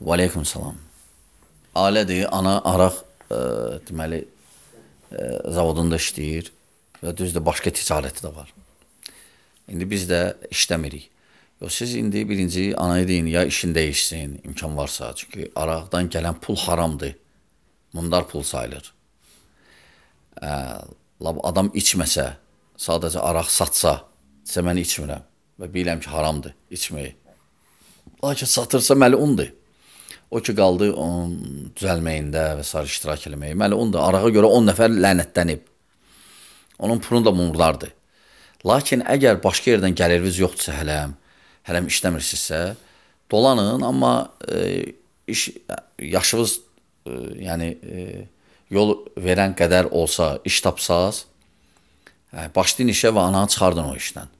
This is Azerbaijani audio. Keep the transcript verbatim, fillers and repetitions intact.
Və aleykum salam. Ailədir, ana araq e, deməli e, zavodunda işləyir və düzdür, başqa ticarəti də var. İndi biz də işləmirik. Yox, siz indi birinci anaya deyin, ya işin dəyişsin, imkan varsa. Çünki araqdan gələn pul haramdır. Mundar pul sayılır. E, adam içməsə, sadəcə araq satsa, desə mən içmirəm və bilirəm ki, haramdır içməyi. Lakin satırsa məlundur. O ki, qaldı onun düzəlməyində və s. iştirak eləməyi. Məlundur. Arağa görə on nəfər lənətlənib. Onun pulunu da mumlardır. Lakin əgər başqa yerdən gəliriniz yoxdursa hələm, hələm işləmirsinizsə, dolanın, amma e, iş, yaşınız e, yəni, e, yol verən qədər olsa, iş tapsaz, e, başlayın işə və ananı çıxardın o işdən.